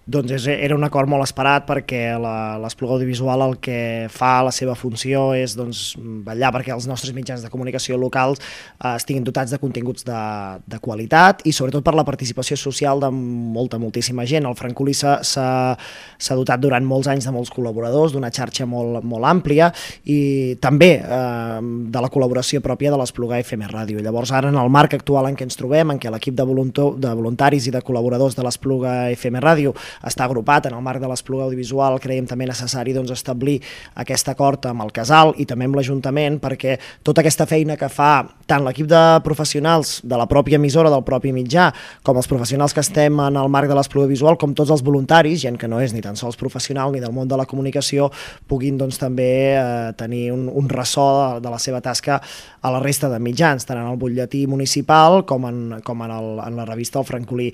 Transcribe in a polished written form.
Doncs era un acord molt esperat perquè l'Espluga Audiovisual el que fa, la seva funció és vetllar perquè els nostres mitjans de comunicació locals estiguin dotats de continguts de qualitat i sobretot per la participació social de moltíssima gent. El Francolí s'ha dotat durant molts anys de molts col·laboradors, d'una xarxa molt àmplia i també de la col·laboració pròpia de l'Espluga FM Ràdio. Llavors ara en el marc actual en què ens trobem, en què l'equip de voluntaris i de col·laboradors de l'Espluga FM Ràdio està agrupat en el marc de l'Espluga Audiovisual, creiem també necessari establir aquest acord amb el Casal i també amb l'Ajuntament perquè tota aquesta feina que fa tant l'equip de professionals de la pròpia emissora, del propi mitjà, com els professionals que estem en el marc de l'Espluga Audiovisual, com tots els voluntaris, gent que no és ni tan sols professional ni del món de la comunicació, puguin també tenir un ressò de la seva tasca a la resta de mitjans, tant en el butlletí municipal com en la revista El Francolí.